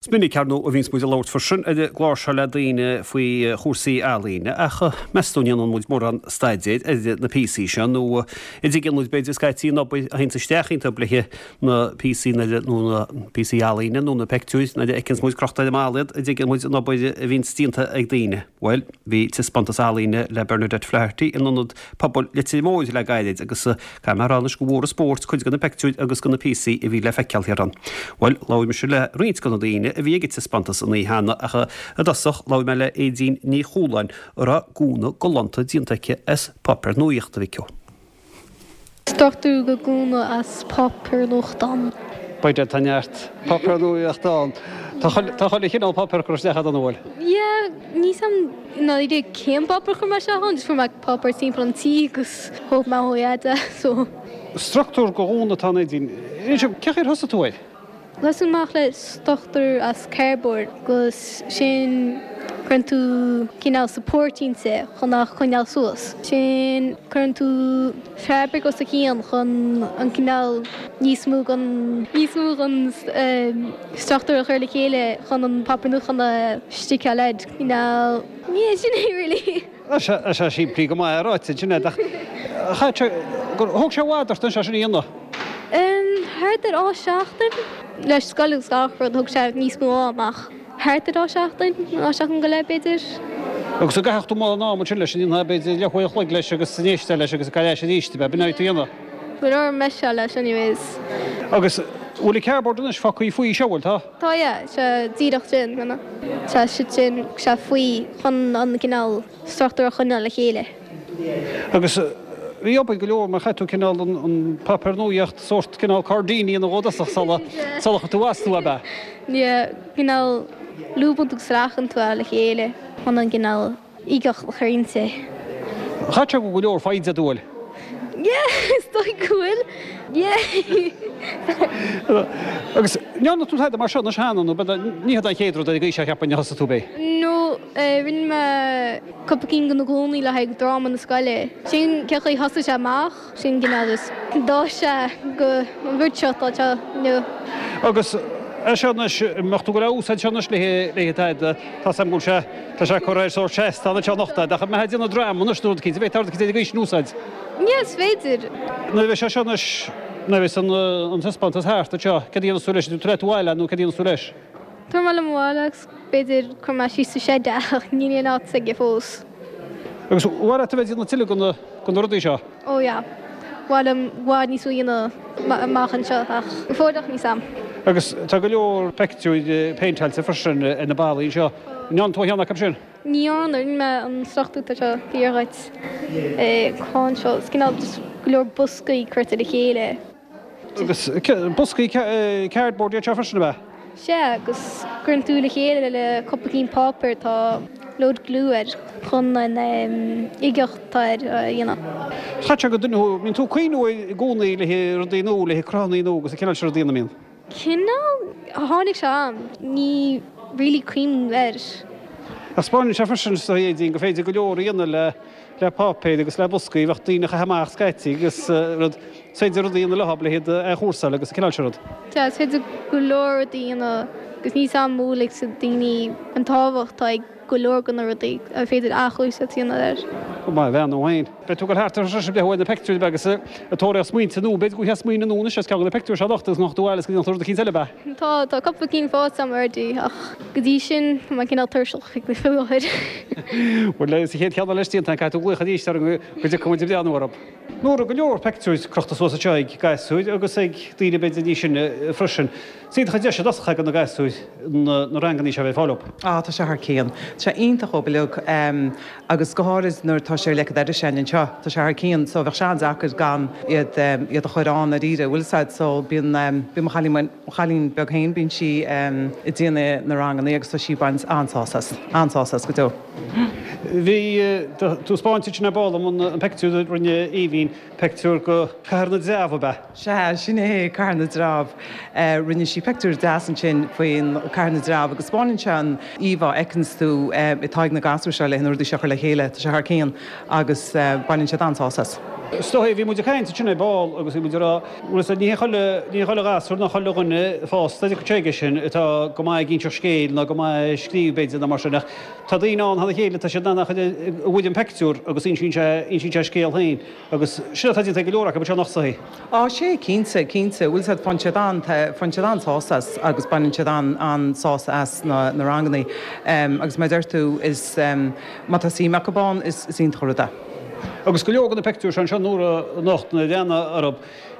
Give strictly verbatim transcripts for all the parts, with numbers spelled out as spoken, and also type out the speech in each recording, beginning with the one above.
Is minic ar ndóigh a bhíonns muid ag labhairt freisin ar an gclár seo le daoine faoi chúrsaí ealaíne ach meas tú an ndéanann muid mórán staidéir ar na píosaí seo nó an dtuigeann muid b'fhéidir scaití an obair a théanns isteach iontu le na píosaí nó na píosaí ealaíne nó na peictiúir nuair a fheiceanns muid crochta ar an mballa iad an dtuigeann muid an obair a bhíonns déanta ag daoine. Bhuel, bhí taispeántas ealaíne le Bernadette Flaherty in Ionad Pobail Leitir Móir le gairid agus caithfidh mé a rá anois go bhfuair an spórt cuid de na peictiúir agus de na píosaí a bhí le feiceáil thiar ann. Bhuel, labhair mise le roinnt de na daoine a bhí ag an taispeántas an oíche cheana ach i dtosach labhair mé le Aedín Ní Chualáin a raibh gúna galánta déanta aici as páipéar nuachta a bhí aici. Struchtúr de ghúna as páipéar nuachtáin. B'fhéidir tá neart páipéar nuachta ann. Tá chuile chineál páipéar curtha isteach agat an bhfuil? Yeah, níl a fhios agam i ndáiríre cén páipéar a chuir mé isteach ann, just fuair mé páipéar timpeall an tí agus thóg mé ó fhada, so. Struchtúr de ghúna atá ann Aedín. Inis dom, cén chaoi ar thosaigh tú air? Thosaigh amach le struchtúr as cardboard agus sin cuireann tú cineál support inti chun a choinneáil suas. Sin cuireann tú fabric os a chionn chun an cineál níos mó den níos mó den struchtúr a chur le chéile chun an páipéar nuachtáin a stickeáil air. Cineál, yeah, sin é really. Tá sé simplí go maith ráite ansin ach chaith sé gur thóg sé i bhfad ort anseo sin a dhéanamh. Thart ar dhá seachtain. Leis scoil agus gach rud thóg sé níos mó ama ach thart ar dhá seachtain, dhá seachtain go leith b'fhéidir. Agus an gcaithfeadh tú mórán ama ansin leis, an ndéanfá b'fhéidir leathuair a chloig leis agus an éisteáil leis agus ag gabháil ais arís, ab ea? B'in é tú a dhéanamh. Go leor meiseáil leis anyways. Agus bhfuil an cardboard anois fágtha faoi seo, bhfuil, tá? Tá yeah, sé díreach sin, tá sé sin, sé faoi chun an cineál struchtúr a choinneáil le chéile. Agus bhí obair go leor mar chaith tú cineál an an páipéar nuaíocht sórt cineál cairdíní ina dhódasach sula sula chuir tú as tú ab ea? Yeah, cineál lúbann tú agus sracann tú é le chéile chun an cineál uigeacht a chur inti. Chaith sé go go leor foighde ort, bhfuil? Yeah, is dóigh go bhfuil. Yeah. Agus ndearna tú tada mar seo anois cheana nó ní hé an chéad rud ar an gcaoi seo a cheapfainn a thosaigh tú b'é? No, rinne mé cúpla cinn de na gúnaí le haghaidh dráma na scoile. Sin cén chaoi a thosaigh sé amach, sin cineál just d'fhás sé go an rud seo atá anseo inniu. Agus é seo anois, an mbeadh tú ag goil á úsáid seo anois le haghaidh tada, tá a fhios agam go bhfuil sé, tá sé curtha ar sórt seastán anseo anocht ach an mbeifeá ag déanamh dráma anois nó rud eicínt, an bhféadfá rud eicínt ar an gcaoi sin a úsáid? Yeah, is féidir. Nuair a bheidh sé seo anois, nuair a bheidh an taispeántas thart anseo, céard a dhéanfas tú leis? An tabharfaidh tú abhaile nó céard a dhéanfas tú leis? Tabharfaidh mé liom abhaile agus b'fhéidir cuirfidh mé síos sa shed é ach níl aon áit aige fós. Agus ar mhaith leat a bheith ag déanamh tuilleadh de na rudaí seo? Ó yeah. Ba mhaith liom i bhfad níos mó a dhéanamh amach anseo ach go fóilleach níl a fhios agam. Agus tá go leor peictiúir péinteáilte freisin ar na ballaí anseo. An ndearna tú aon cheann acu sin? Ní dhearna, rinne mé an struchtúr atá seo thiar dhuit, cá anseo, is cineál just go leor boscaí curtha le chéile. Agus boscaí cardboard iad seo freisin, ab ea? Sea, agus cuireann tú le chéile le cúpla cinn páipéir atá load glue air chun an uigeacht atá air a dhéanamh. Chaith sé go duine thú, mbíonn tú ag cuimhniú i gcónaí le rudaí nua, le cruthanna nua agus an cineál sin rudaí, an mbíonn? Cineál, tháinig sé a'm, ní really cuimhním air. Ach 'spáineann sé freisin is dóigh Aedín gur féidir go leor a dhéanamh le le páipéir agus le boscaí a bheadh daoine a chaitheamh amach scaití agus rud, is féidir rudaí a dhéanamh leo le hiad a athchúrsáil agus an cineál sin rud. Sea, is féidir go leor rudaí a dhéanamh agus níl a fhios agam an bhfuil a fhios ag daoine an tábhacht atá ag go leor de na rudaí ar féidir athchúrsáil a dhéanamh air. Go maith, a bhean ó fhéin. Beidh tú ag dul thart ar an bhreith uaidh na peictiúirí beaga sa tóraíocht smaointe nua. B'fhéidir go bhfaighfeá smaoineamh nua anois as ceann de na peictiúirí seo anocht agus go ngabhfá abhaile agus go ndéanfá rud eicínt eile, ab ea? Tá, tá cúpla cinn faighte agam already ach go dtí sin tá mé cineál tuirseach faoi láthair. Bhuel, sa chéad cheann eile istigh ansin caithfidh tú glaoch arís orainn go dtiocfaidh muid ag breathnú orthu. Nóra, go leor peictiúir crochta suas anseo ag gasúir agus ag daoine b'fhéidir níos sine freisin. Is iontach an deis i dtosach do na gasúir na rangannaí seo a bheith ag fáil leo. Á, tá sé thar cionn. Tá sé iontach dhóibh uilig agus go háirid nuair atá sé ar leicead air sin anseo. Tá sé thar cionn so bheadh sé an-deacair gan iad iad a chur ann dáiríre, bhfuil 'fhios a'd. So bíonn bíonn mo chailín mo chailín beag féin bíonn sí ag déanamh na rangannaí agus tá sí ag baint an-sásamh as, an-sásamh as go deo. Bhí tú ag 'spáint ansin ar ball dom an pictiúr a rinne Aoibhín, pictiúr go Cathair na dTreabh ab ea? Sea, sin é, Cathair na dTreabh. Rinne sí pictiúr deas ansin faoin Cathair na dTreabh agus 'spáineann sé an íomhá a fheiceanns tú atá ag na gasúir seo le na rudaí seo a chur le chéile. Tá sé thar cionn agus baineann siad an-sásamh as. Is dóigh, bhí muid ag caint ansin ar ball agus bhí muid ag rá, bhfuil fhios a'd, ní hé chuile, ní hé chuile ghasúr ná chuile dhuine fásta a dtiocfadh sé aige sin atá go maith ag inseacht scéil ná go maith ag scríobh b'fhéidir ná mar sin ach tá daoine ann thar a chéile, tá siad in ann a bhfuil an pictiúr agus insíonn sé, insíonn sé a scéal féin agus sin atá déanta ag go leor acu anseo anocht is dóigh. Á, sea, cinnte, cinnte, bhfuil fhios a'd, faigheann siad an, faigheann siad an-sásamh as agus baineann siad an, an-sásamh as na, na rangannaí. Agus mar a deir tú, is, má tá suim acu ann, is, is iontach an rud é. Agus go leor de na pictiúir seo anseo Nóra anocht nuair a breathnaigh orthu,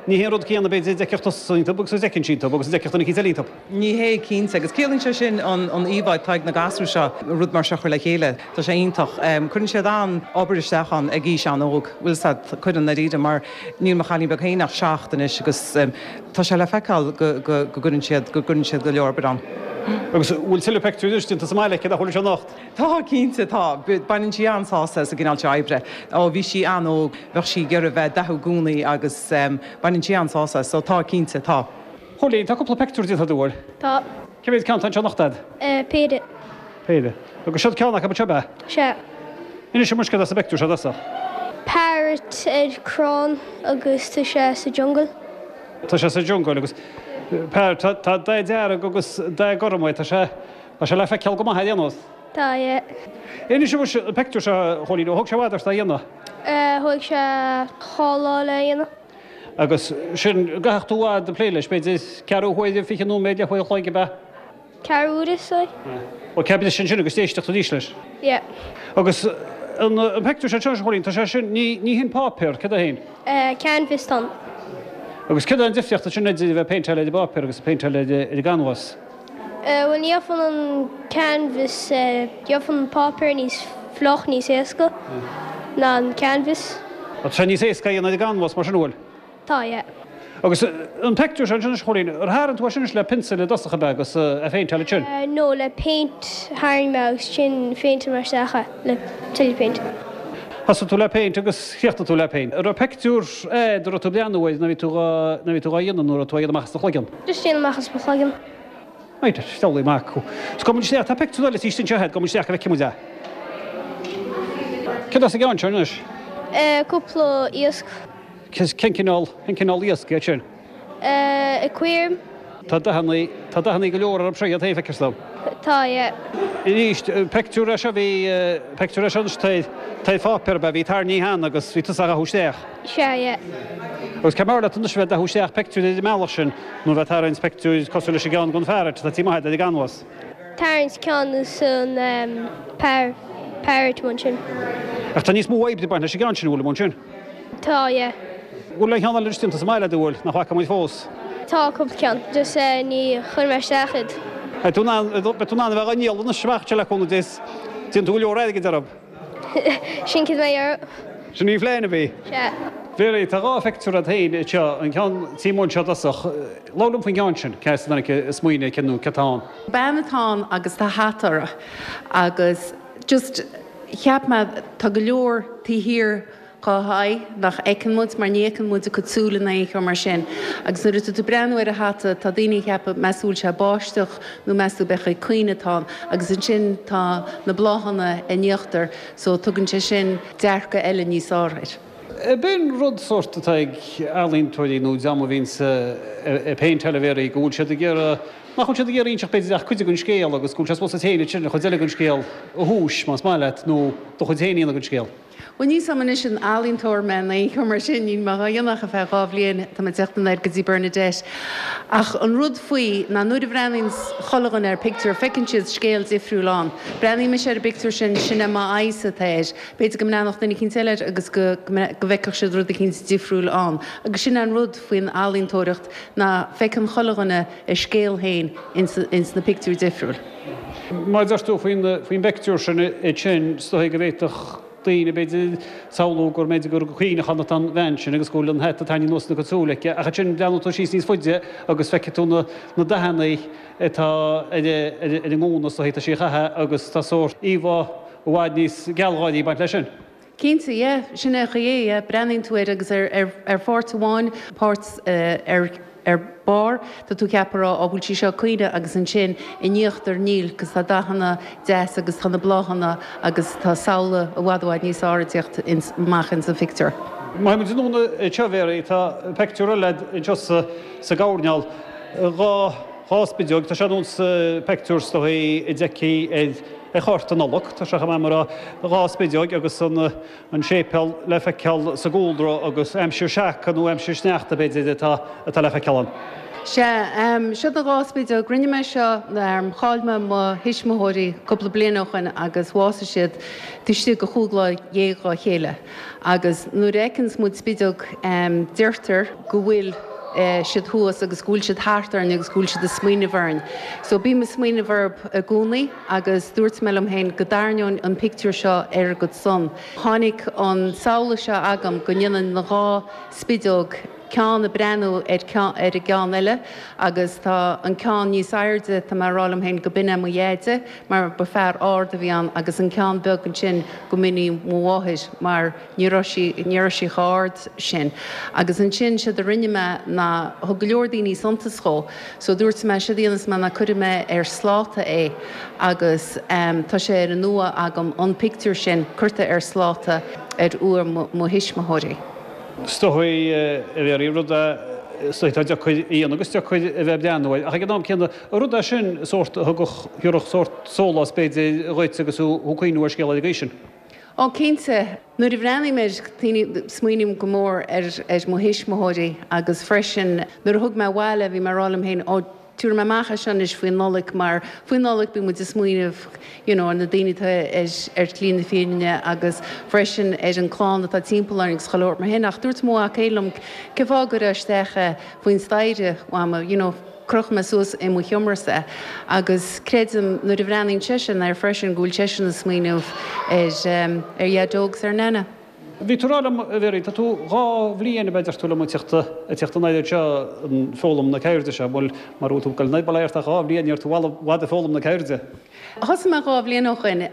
ní hé an rud céanna b'fhéidir a d'fheicfeadh tusa iontu agus a d'fheiceann sí iontu agus a d'fheicfeadh duine eicínt eile iontu. Ní hé, cinnte. Agus ciallaíonn sé sin an íomhá atá ag na gasúir seo rud mar seo a chur le chéile. Tá sé iontach. Cuireann siad an-obair isteach ann ag aois an-óg, bhfuil 'fhios a'd, cuireann ndáiríre mar níl mo chailín beag féin ach seacht anois agus tá sé le feiceáil go gcuireann siad, go gcuireann siad go leor obair ann. Agus bhfuil tuilleadh pictiúir anois déanta sa mbaile aici nach bhfuil anseo anocht? Tá, cinnte, tá. Baineann sí an-sásamh as an gcineál seo oibre. Ó bhí sí an-óg, bheadh sí ag iarraidh bheith ag dathú i gcónaí agus baineann sí an-sásamh as. So tá, cinnte, tá. Chóilín, tá cúpla pictiúr déanta agat, an bhfuil? Tá. Cé mhéad ceann atá anseo anocht agat? Péire. Péire. Agus seo ceann acu anseo, ab ea? Sea. Inis dom céard as an bpictiúr seo i dtosach. Parrot ar crann agus tá sé sa jungle. Tá sé sa jungle agus parrot, tá dath dearg agus dath gorm air, tá sé, tá sé le feiceáil go maith ar aon nós. Tá, yeah. Inis dom an pictiúr seo, a Chóilín, ó thóg sé i bhfad ort é a dhéanamh? Thóg sé dhá lá le dhéanamh. Agus sin, an gcaithfeadh tú i bhfad ag plé leis, b'fhéidir ceathrú huaire, fiche nóiméad, leathuair an chloig, ab ea? Ceathrú uaire, is dóigh. Ó, ceap leis ansin agus d'éisteacht arís leis. Yeah. Agus an pictiúr seo, a Chóilín, tá sé sin, ní, ní hin páipéar, céard é féin? Eh, canvas atá ann. Agus céard é an difríocht ansin idir a bheith ag péinteáil ar an bpáipéar agus ag péinteáil ar an gcanbhás? Eh, bhuel, ní gheobhann an canvas, eh, gheobhann an páipéar níos fliuch, níos éasca ná an canvas. Tá sé níos éasca a dhéanamh ar an gcanbhás mar sin, an bhfuil? Tá, yeah. Agus an pictiúr seo ansin, a Chóilín, ar tharraing tú é sin anois le pionsail i dtosach ab ea agus é a phéinteáil ansin? No, le péint tharraing mé agus ansin phéinteáil mé isteach é le tuilleadh péint. Thosaigh tú le péint agus chríochnaigh tú le péint. An raibh pictiúr a'd a raibh tú ag breathnú air nuair a bhí tú dhá nuair a bhí tú dhá dhéanamh nó raibh tú á dhéanamh amach as do chloigeann? Just déanamh amach as mo chloigeann. Right, deabhlaí mac thú. Is gabhfaidh muid isteach, tá pictiúr eile istigh anseo a'd, gabhfaidh muid isteach go bhfeicfidh muid é. Céard as an gceann seo anois? Cúpla iasc. Cén cineál, cén cineál iasc iad sin? Aquarium. Tá dathanna, tá dathanna go leor orthu seo iad féin, feictear dom. Tá, yeah. Arís, pictiúr é seo, bhí, pictiúr é seo anois, tá, tá ar pháipéar ab ea, bhí tarraingthe cheana agus bhí tusa á dhathú isteach. Sea, yeah. Agus cé mb'fhearr leat anois a bheith ag dathú isteach pictiúr ar an mbealach sin nó a bheith ag tarraingt pictiúir cosúil leis an gceann den pharrot atá taobh amuigh ar an gcanbhás? Tarraingt ceann is an par, parrot ansin. Ach tá níos mó oibre ag baint leis an gceann sin, an bhfuil, ansin? Tá, yeah. Bhfuil aon cheann eile déanta sa mbaile agat, an bhfuil, nach bhfaca muid fós? Tá, cúpla ceann. Just ní chuir mé isteach iad. Beidh tú in ann, beidh tú in ann a bheith á ndíol anois amach anseo le cúnamh Dé is déanfaidh tú go leor airgid orthu. Sin céard mé orthu. Sin í an phlean a bhí. Sea. Mary, tá dhá phictiúr agat féin anseo, an ceann taobh amuigh anseo i dtosach. Labhair liom faoin gceann sin, cé as a dtáinig an smaoineamh cé nó cé atá ann? Bean atá ann agus tá hata uirthi agus just cheap mé tá go leor taobh thiar dá haghaidh nach fheiceann muid mar ní fheiceann muid a cuid súile ná aon cheo mar sin agus nuair atá tú ag breathnú ar a hata tá daoine ag ceapadh meas tú bhfuil sé ag báisteach nó meas tú b'fhéidir ag caoineadh atá ann agus ansin tá na bláthanna in íochtar so tugann sé sin dearcadh eile níos fearr air. B'in rud sórt atá ag ealaíontóirí nó dream a bhíonns ag péinteáil a Mhary, go bhfuil siad ag iarraidh, nach bhfuil siad ag iarraidh inseacht b'fhéidir ach cuid den scéal agus go bhfuil sé suppose duit féin ansin an chuid eile den scéal a thomhas, más maith leat, nó do chuid féin a dhéanamh den scéal. Bhuel, níl 's a'm anois an ealaíontóir mé nó aon cheo mar sin, níl mé dhá dhéanamh ach ar feadh dhá bhliain, tá mé ag teacht anoir go dtí Bernadette. Ach an rud faoi ná nuair a bhreathnaíonn chuile dhuine ar pictiúr, feiceann siad scéal difriúil ann. Breathnaíonn mise ar an bpictiúr sin, sin é m'aghaidhse atá air. B'fhéidir go mbreathnódh duine eicínt eile air agus go go bhfeicfeadh siad rud eicínt difriúil ann. Agus sin é an rud faoin ealaíontóireacht ná feiceann chuile dhuine a scéal féin ins ins na pictiúir difriúil. Mar a deir tú faoin faoin bpictiúr sin, sin, is dóigh go bhféadfadh daoine, b'fhéidir, samhlú gur mb'fhéidir gur ag caoineachán atá an bhean sin agus go bhfuil an hata tarraingthe anuas ina cuid súl aici, ach ansin breathnóidh tú síos níos faide agus feicfidh tú na na dathanna atá ar ar an ngúna is dóigh atá sí a chaitheamh agus tá sórt íomhá i bhfad níos gealgháirí ag baint leis sin. Cinnte, yeah, sin é an chaoi é, yeah, breathnaíonn tú air agus ar, ar, ar pháirt amháin, páirt ar, ar barr, tá tú ag ceapadh á, bhfuil sí seo ag caoineadh agus ansin in íochtar níl, 'cause tá dathanna deas agus tá na bláthanna agus tá samhla i bhfad i bhfad níos fearr ag teacht ins, amach ins an phictiúr. Má théimid anonn anseo, a Mhary, tá peictiúr eile anseo sa, sa gcoirnéal, dhá, dhá spideog, tá sé ar nós peictiúr is dóigh a d'fheicfí ar, ar chárta Nollag, tá sé chomh maith mar a dhá spideog agus an, an séipéal le feiceáil sa gcúlra agus aimsir seaca nó aimsir sneachta b'fhéidir atá, atá le feiceáil ann. Sea, seo na dhá spideog, rinne mé seo, chaill mé mo thuismitheoirí cúpla bliain ó shoin agus bhásaigh siad taobh istigh de chúig lá dhéag dhá chéile agus nuair a fheiceanns muid spideog deirtear go bhfuil siad thuas agus go bhfuil siad thart orainn agus go bhfuil siad ag smaoineamh orainn. So bím ag smaoineamh orthu i gcónaí agus dúirt mé liom féin go dtarraingeoinn an pictiúr seo ar a gcuid son. Tháinig an samhla seo agam go ndéanann na dhá spideog ceann ag breathnú ar ceann ar an gceann eile agus tá an ceann níos airde, tá mé ag rá liom féin go b'in é mo dheaide mar ba fear ard a bhí ann agus an ceann beag ansin go mb'in í mo mháthair mar ní raibh sí, ní raibh sí chomh hard sin. Agus ansin séard a rinne mé ná thug go leor daoine suntas dhó so dúirt mé séard a dhéanfas mé ná cuirfidh mé ar sláta é agus tá sé ar an uaigh agam an pictiúr sin curtha ar sláta ar uaigh mo thuismitheoirí. Is dóigh, a Mhary, rud é is dóigh atá deacair a dhéanamh agus deacair a bheith ag breathnú air ach ag an am céanna rud é sin sórt a thugadh, thiúrfadh sórt sólás b'fhéidir dhuit agus thú ag cuimhniú ar scéal ar an gcaoi sin. Ó, cinnte. Nuair a bhreathnaím air, smaoiním go mór ar ar mo thuismitheoirí agus freisin nuair a thug mé abhaile bhí mé ag rá liom féin, ó, tabharfaidh mé amach é seo anois faoin Nollaig mar faoin Nollaig bíonn muid ag smaoineamh you know ar na daoine atá ar ar shlí na fírinne agus freisin ar an clann atá timpeall orainn agus chuile shórt mar sin ach dúirt mo mhac féin liom cén fáth a gcuirfeá isteach é faoin staighre, Mhama, you know. Crochfaidh mé suas i mo sheomrasa agus creidim nuair a bhreathnaíonn seisean air freisin go bhfuil seisean ag smaoineamh ar ar Dhaideo agus ar Nana. Bhí tú ag rá liom, a Mhary, tá tú dhá bhliain ab ea deir tú liom ag teacht ag teacht anoir anseo ag foghlaim na ceirde seo, bhuel mara bhfuil tú ag dul anoir bail ó Dhia ort ach dhá bhliain ní raibh tú i bhfad ag foghlaim na ceirde. Thosaigh mé dhá bhliain ó shoin.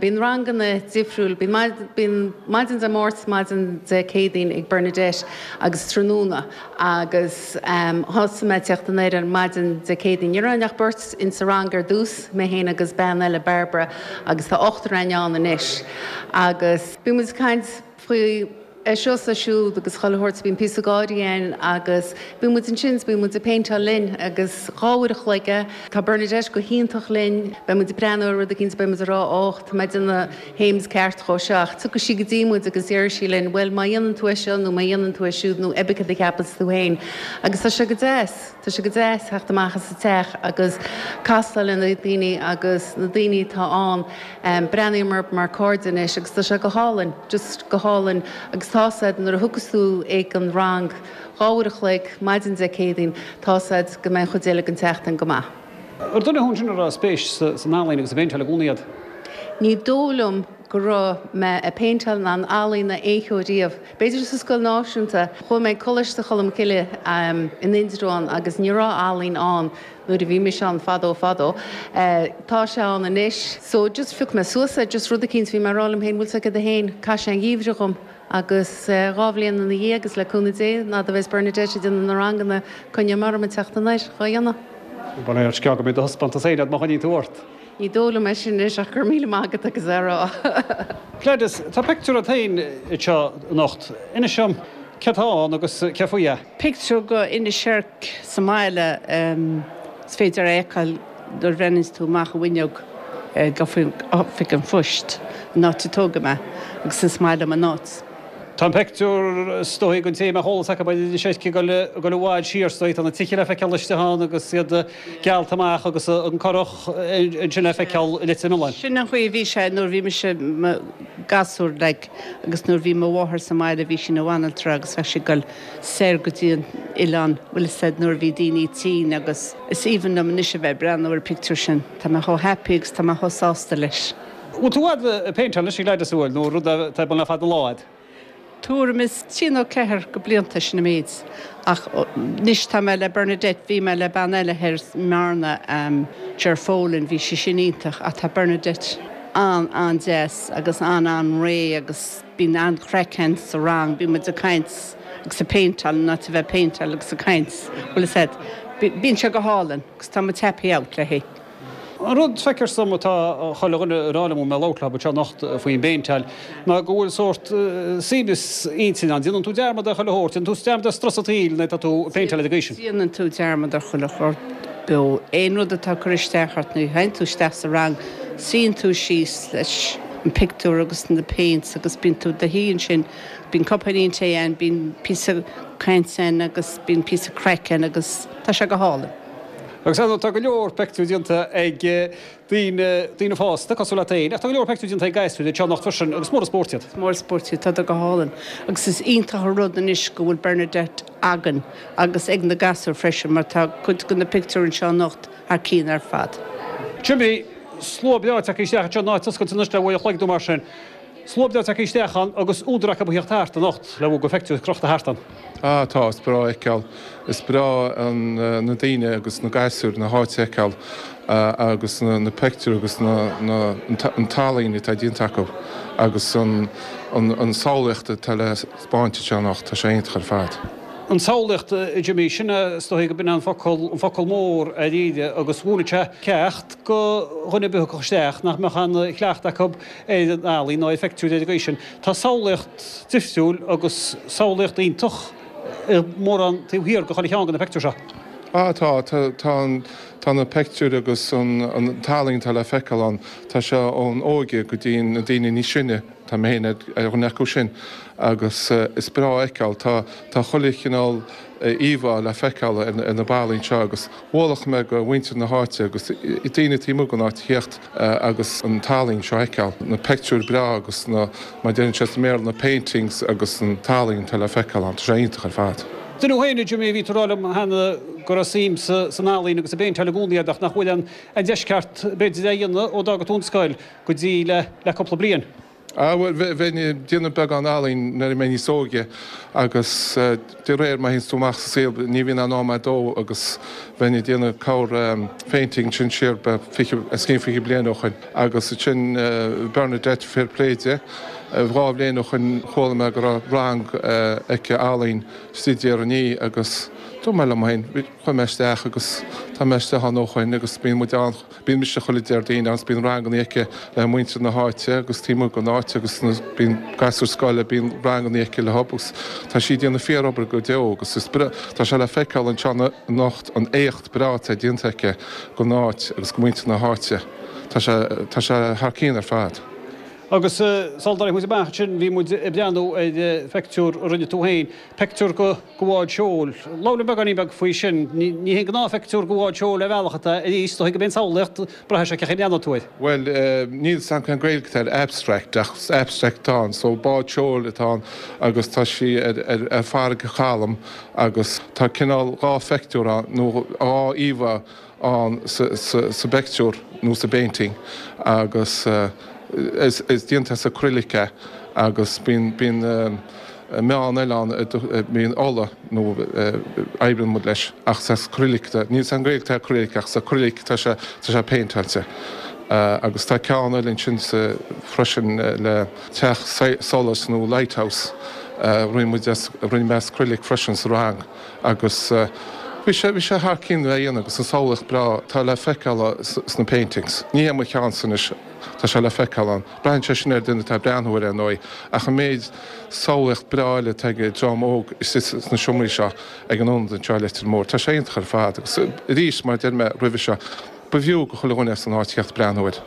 Bíonn ranganna difriúil, bíonn bíonn maidin Dé Máirt, maidin Dé Céadaoin ag Bernadette agus tráthnóna. Agus thosaigh mé ag teacht anoir ar maidin Dé Céadaoin. Ní raibh ach beirt in sa rang ar dtús, mé féin agus bean eile, Barbara, agus tá ochtar againn ann anois. Agus bíonn muid ag caint faoi é seo is é siúd agus chuile shórt, bíonn píosa gáirí ann agus bíonn muid ansin is bíonn muid ag péinteáil linn agus dhá uair a chloig é. Tá Bernadette go hiontach linn, beidh muid ag breathnú ar rud eicínt, beidh muid ag rá och, tá mé ag déanamh Thames ceart dhó seo ach tiocfaidh sí go dtí muid agus déarfaidh sí linn bhuel má dhéanann tú é seo nó má dhéanann tú é siúd nó cibé cad a cheapas tú féin agus tá sé go deas, tá sé go deas theacht amach as an teach agus castáil le na daoine agus na daoine atá ann, breathnaím orthu mar cairde anois agus tá sé go hálainn, just go hálainn agus tá's a'd nuair a thiocfas tú ag an rang dhá uair a chloig maidin Dé Céadaoin tá's a'd go mbeidh an chuid eile den tseachtain go maith. Ar duine thú ansin a raibh spéis san ealaín agus sa bpéinteáil i gcónaí agat? Ní dóigh liom go raibh mé ag péinteáil ná in ealaín aon cheo riamh. B'fhéidir sa scoil náisiúnta. Chuaigh mé ag Coláiste Cholm Cille in Indreabhán agus ní raibh ealaín ann nuair a bhí mise ann fadó fadó. Tá sé ann anois. So just phioc mé suas é, just rud eicínt, bhí mé ag rá liom féin, bhfuil 's agat féin, caithfidh sé an gheimhreadh dhom. Agus dhá bhliain ina dhiaidh agus le cúnamh Dé, fhad a bheas Bernadette ag déanamh na ranganna, coinneoidh mé orm ag teacht anoir dhá dhéanamh. Bail ó Dhia ort, go mbeidh do thaispeántas féin agat má choinníonn tú ort. Ní dóigh liom é sin anois ach go raibh míle maith agat agus é a rá. Gladys, tá pictiúr agat féin anseo anocht. Inis dom céard atá ann agus cé faoi é? Pictiúr go Inis Oirc sa mbaile, is féidir é a fheiceáil nuair a bhreathnaíonns tú amach an bhfuinneog ag oifig an phoist, an áit a tógadh mé, agus is maith liom an áit. Tá an pictiúr, is dóigh, don té a mbeadh eolas acu ar Inis Oirc ag dul i bhfad siar, is dóigh. Tá na tithe le feiceáil istigh ann agus iad geallta amach agus an curach ansin le feiceáil i Leitir Mealláin. Sin an chaoi a bhí sé nuair a bhí mise i mo ghasúr, like, agus nuair a bhí mo mháthair sa mbaile bhí sí ina bhanaltra agus bheadh sí ag dul soir go dtí an oileán, bhfuil fhios a'd, nuair a bhí daoine tinn agus is aoibhinn liom anois a bheith ag breathnú ar an pictiúr sin. Tá mé chomh happy agus tá mé chomh sásta leis. Bhfuil tú i bhfad ag péinteáil anois, a Gladys, an bhfuil, nó rud atá ar bun le fada an lá a'd? Tuairim is trí nó ceathair go blianta, sin an méid. Ach anois tá mé le Bernadette, bhí mé le bean eile thoir i mBearna, Ger Folan, bhí sí sin iontach ach tá Bernadette An-an-deas agus an-an-réidh agus bíonn an-chraic ann sa rang, bíonn muid ag caint agus ag péinteáil ná a bheith péinteáil agus ag caint bhfuil a fhios agat. Bíonn sé go hálainn agus tá muid happy out léi. An rud feictear dom atá chuile dhuine ag rá liom mé labhairt leo anseo anocht faoin bpéinteáil ná go bhfuil sórt suaimhneas intinne ann. Déanann tú dearmad ar chuile shórt, déanann tú dearmad ar strus an tsaoil nuair atá tú ag péinteáil ar an gcaoi sin. Déanann tú dearmad ar chuile shórt beo. Aon rud atá ag cur isteach ort nuair a théann tú isteach sa rang, suíonn tú síos leis an pictiúr agus na paints agus bíonn tú i do shuí ansin, bíonn cupáinín tae ann, bíonn píosa cainte ann agus bíonn píosa craic ann agus tá sé go hálainn. Agus ar ndóigh tá go leor peictiúr déanta ag daoine, daoine fásta, cosúil leat féin, ach tá go leor peictiúr déanta ag gasúir anseo anocht freisin agus mór an spórt iad. Is mór an spórt iad, tá go hálainn. Agus is iontach an rud anois go bhfuil Bernadette againn agus ag na gasúir freisin mar tá cuid de na pictiúir anseo anocht thar cionn ar fad. Jimmy, slua breá tagtha isteach anseo an áit oscailte anois le uair a chloig nó mar sin. Slua breá tagtha isteach ann agus údar acu a theacht thart anocht le bhur gcuid peictiúr crochta thart ann. Ah tá, is breá a fheiceáil. Is breá an na daoine agus na gasúir na háite a fheiceáil agus na peictiúir agus na na an t-ealaín atá déanta acu agus an an samhlaíocht atá le spáint anseo anocht, tá sé iontach ar fad. An tsamhlaíocht, a Jimmy, sin é is dóigh go b'in an focal an focal mór dáiríre agus mhúinfeadh sé ceacht go dhuine ar bith a thiocfadh isteach nach mbeadh aon chleachtadh acu ar an ealaín ná ar pheictiúir ar an gcaoi sin. Tá samhlaíocht difriúil agus samhlaíocht iontach i mórán taobh thiar de chuile cheann de na peictiúir seo. Ah tá, tá tá an tá na peictiúir agus an an t-ealaín atá le feiceáil ann, tá sé ón óige go dtí na daoine níos sine, tá mé féin ar dhuine acu sin agus is breá a fheiceáil, tá tá chuile chineál íomhá le feiceáil ar na ballaí anseo agus mholfadh mé go mhuintir na háite agus daoine taobh amuigh den áit a theacht agus an t-ealaín seo a fheiceáil, na peictiúir breá agus na, mar a deireann siad sa mBéarla, na paintings agus an t-ealaín atá le feiceáil ann, tá sé iontach ar fad. Duine thú féin, a Jimmy, bhí tú ag rá liom cheana go raibh suim san ealaín agus sa bpéinteáil i gcónaí agat ach nach bhfuil an deis ceart b'fhéidir é a dhéanamh ó d'fhága tú an scoil go dtí le le cúpla bliain. Ah bhuel, bheinn ag déanamh beagán ealaín nuair a bhí mé níos óige agus de réir mar a théanns tú amach sa saol ní bhíonn aon am a'd dó agus bheinn ag déanamh corr painting sin siar fiche, os cionn fiche bliain ó shoin agus ansin Bernadette fair play di, dhá bhliain ó shoin chuala mé go raibh rang aici ealaín istigh i dTír an Fhia agus dúirt mé liom féin, chuaigh mé isteach agus tá mé istigh ann ó shoin agus bíonn muid ann, bíonn mise chuile Déardaoin ann agus bíonn ranganna aici le muintir na háite agus taobh amuigh den áit agus bíonn gasúir scoile, bíonn ranganna aici leo agus tá sí ag déanamh fíor-obair go deo agus is breá, tá sé le feiceáil anseo anocht an éacht breá atá déanta aici don áit agus go muintir na háite. Tá sé, tá sé thar cionn ar fad. Agus sula dtarraing muid amach ansin bhí muid ag breathnú ar phictiúr a rinne tú féin, pictiúr de bhád seoil. Labhair linn beagáinín beag faoi sin. Ní hé an gnáthphictiúr de bhád seoil ar bhealach atá arís, is dóigh go mb'é an tsamhlaíocht, braitheann sé cén chaoi a mbreathnóidh tú air. Bhuel, níl 's a'm cén Gaeilge atá ar abstract ach abstract atá ann. So bád seoil atá ann agus tá sí ar ar farraige chalm agus tá cineál dhá phictiúr ann nó dhá íomhá ann sa bpictiúr nó sa bpainting agus is déanta as acrylic é agus bíonn bíonn meán eile ann bíonn ola nó oibríonn muid leis ach is as acrylic níl 's a'm cén Ghaeilge atá ar acrylic ach sa acrylic tá sé tá sé péinteáilte agus tá ceann eile ansin sa freisin le teach solais nó lighthouse rinne muid as rinne mé as acrylic freisin sa rang agus bhí sé bhí sé thar cionn le dhéanamh agus an samhlaíocht breá atá le feiceáil sna paintings. Ní hé mo cheannsa anois, tá sé le feiceáil ann. Braitheann sé sin ar duine atá ag breathnú air ar ndóigh, ach an méid samhlaíocht breá eile atá ag dream óg istigh sna seomraí seo ag an ionad anseo i Leitir Móir, tá sé iontach ar fad agus arís mar a deir mé roimhe seo, ba bhfiú go chuile dhuine as an áit theacht breathnú air.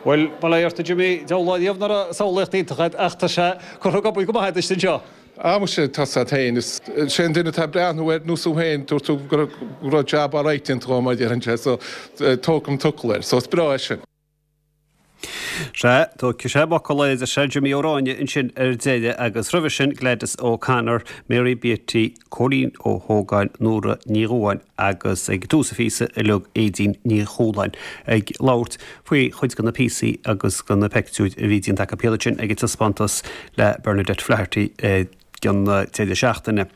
Bhuel, bail ó Dhia ort a Jimmy, deabhal lá riamh nach raibh samhlaíocht iontach agat ach tá sé curtha ag obair go maith agat anseo. Ah muise, tá 's a't fhéin, is sé an duine atá ag breathnú air nó tú fhéin, dúirt tú go raibh jab alright déanta agam mar a deireann sé, so tógfaidh an t-fhocal air, so is breá é sin. Sea, tógfaidh sé m'fhocal air, a deir Jimmy Ó Ráinne ansin ar deireadh agus roimhe sin Gladys O'Connor, Mary Beatty, Cóilín Ó hÓgáin, Nóra Ní Dhubháin agus ag tús an phíosa uilig Aedín Ní Chualáin ag labhairt faoi chuid de na píosaí agus de na peictiúir a bhí déanta acu iad sin ag an taispeántas le Bernadette Flaherty ag an deireadh seachtaine.